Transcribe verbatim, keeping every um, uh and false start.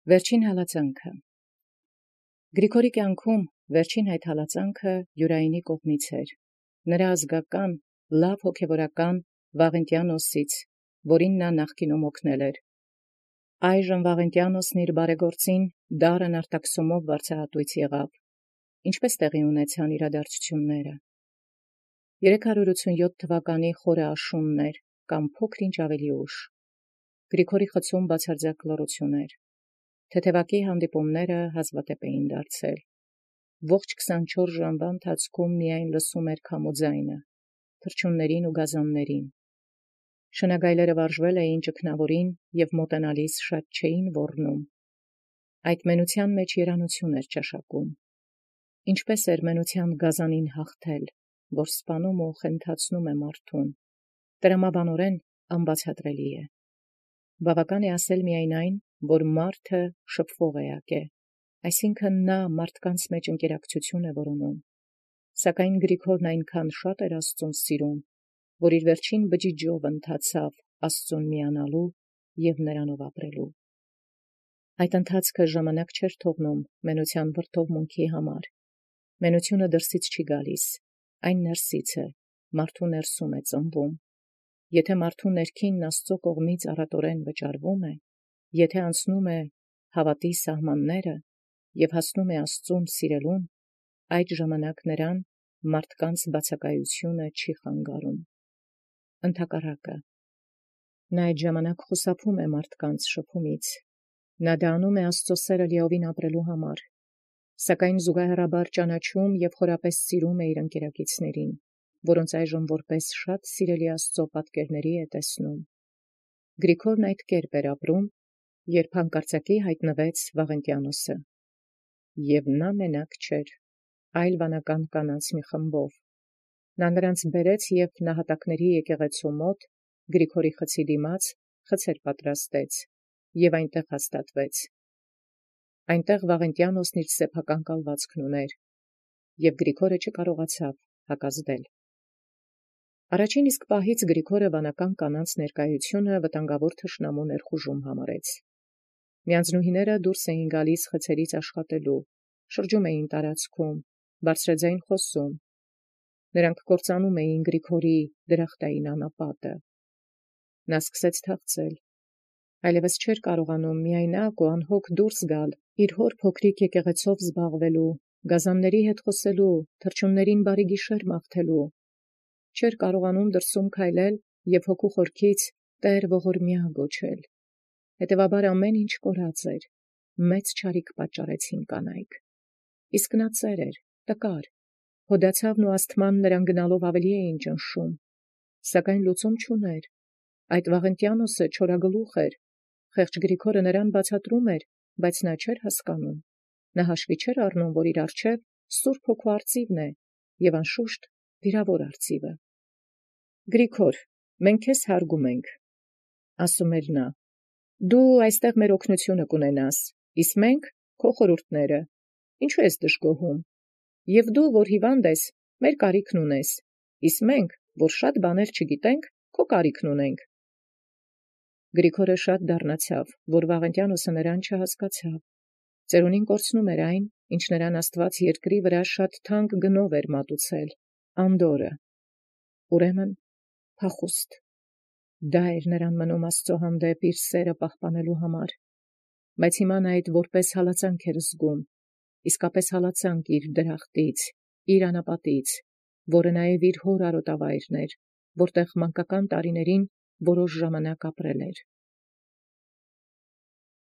Վերջին հալածանքը Գրիգորի կյանքում վերջին այդ հալածանքը Յուրայինի կողմից էր, նրա ազգական, լավ հոգևորական Վաղենտիանոսից, որին նա նախկինում օգնել էր։ Այժմ Վաղենտիանոսն իր բարեգործին դարն արտաքսումով վարձահատույց եղավ, ինչպես տեղի ունեցան իրադարձությունները։ երեք հարյուր ութսունյոթ թվականի խորը աշունն էր, կամ փոքր ինչ ավելի ուշ։ Գրիգորի խցում բացարձակ լռություն էր։ Թեթևակի հանդիպումները հազվադեպ էին դարձել։ Ողջ քսանչորս ժամվա ընթացքում միայն լսում էր քամու ձայնը, թռչուններին ու գազաններին։ Շնագայլերը վարժվել էին ճգնավորին և մոտենալիս շատ չէին ոռնում։ Այդ մենության մեջ երանություն էր ճաշակում։ Ինչպես էր մենության գազանին հաղթել, որ սպանում ու խենթացնում է մարդուն, տրամաբանորեն անբացատրելի է։ Բավական է ասել միայն այն, որ մարդը շփվող էակ է, այսինքն նա մարդկանց մեջ ընկերակցություն է որոնում։ Սակայն Գրիգորն այնքան շատ էր Աստծուն սիրում, որ իր վերջին բջիջով ընթացավ Աստծուն միանալու և նրանով ապրելու։ Այդ ընթացքը ժամանակ չէր թողնում մենության վրդովմունքի համար։ Մենությունը դրսից չի գալիս, այն ներսից է, մարդու ներսում է ծնվում։ Եթե մարդու ներքինն Աստծո կողմից առատորեն վճարվում է, եթե անցնում է հավատի սահմանները և հասնում է Աստծուն սիրելուն, այդ ժամանակ նրան մարդկանց բացակայությունը չի խանգարում։ Ընդհակառակը, նա այդ ժամանակ խուսափում է մարդկանց շփումից, նա դա անում է Աստծո սերը լիովին ապրելու համար, սակայն զուգահեռաբար ճանաչում և խորապես սիրում է իր ընկերակիցներին, որոնց այժմ որպես շատ սիրելի Աստծո պատկերների է տեսնում։ Գրիգորն այդ կերպ էր ապրում, երբ հանկարծակի հայտնվեց Վաղենտիանոսը։ Եվ նա մենակ չէր, այլ վանական կանանց մի խմբով։ Նա նրանց բերեց և նահատակների եկեղեցու մոտ Գրիգորի խցի դիմաց խցեր պատրաստեց և այնտեղ հաստատվեց։ Այնտեղ Վաղենտիանոսն իր սեփական կալվածքն ուներ, և Գրիգորը չկարողացավ հակազդել։ Առաջին իսկ պահից Գրիգորը վանական կանանց ներկայությունը վտանգավոր թշնամու ներխուժում համարեց։ Միանձնուհիները դուրս էին գալիս խցերից աշխատելու, շրջում էին տարածքում, բարձրաձայն խոսում։ Նրանք կործանում էին Գրիգորի դրախտային անապատը։ Նա սկսեց թախծել, այլևս չէր կարողանում միայնակ ու անհոգ դուրս գալ իր հոր փոքրիկ եկեղեցով զբաղվելու, գազանների հետ խոսելու, թռչուններին բարի գիշեր մաղթելու։ Չէր կարողանում դրսում քայլել և հոգու խորքից «Տեր ողորմյա» գոչել։ Հետևաբար ամեն ինչ կորած էր, մեծ չարիք պատճառեցին կանայք։ Իսկ նա ծեր էր, տկար, հոդացավն ու ասթման նրան գնալով ավելի էին ճնշում, սակայն լուծում չուներ։ Այդ Վաղենտիանոսը չորագլուխ էր, խեղճ Գրիգորը նրան բացատրում էր, բայց նա չէր հասկանում։ Նա հաշվի չէր առնում, որ իր առջև Սուրբ Հոգու արծիվն է և անշուշտ վիրավոր արծիվը։ Գրիգոր, մենք քեզ հարգում ենք, ասում էր նա, դու այստեղ մեր օգնությունը կունենաս, իսկ մենք քո խորհուրդները, ինչու ես դժգոհում, և դու, որ հիվանդ ես, մեր կարիքն ունես, իսկ մենք, որ շատ բաներ չգիտենք, քո կարիքն ունենք։ Գրիգորը շատ դառնացավ, որ Վաղենտիանոսը նրան չհասկացավ։ Ծերունին կորցնում էր այն, ինչ նրան Աստված երկրի վրա շատ թանկ գնով էր մատուցել, անդորրը, ուրեմն փախուստ։ Դա էր նրան մնում Աստծո հանդեպ իր սերը պահպանելու համար, բայց հիմա նա այդ որպես հալածանք էր զգում, իսկապես հալածանք իր դրախտից, իր անապատից, որը նաև իր հոր արոտավայրն էր, որտեղ մանկական տարիներին որոշ ժամանակ ապրել էր։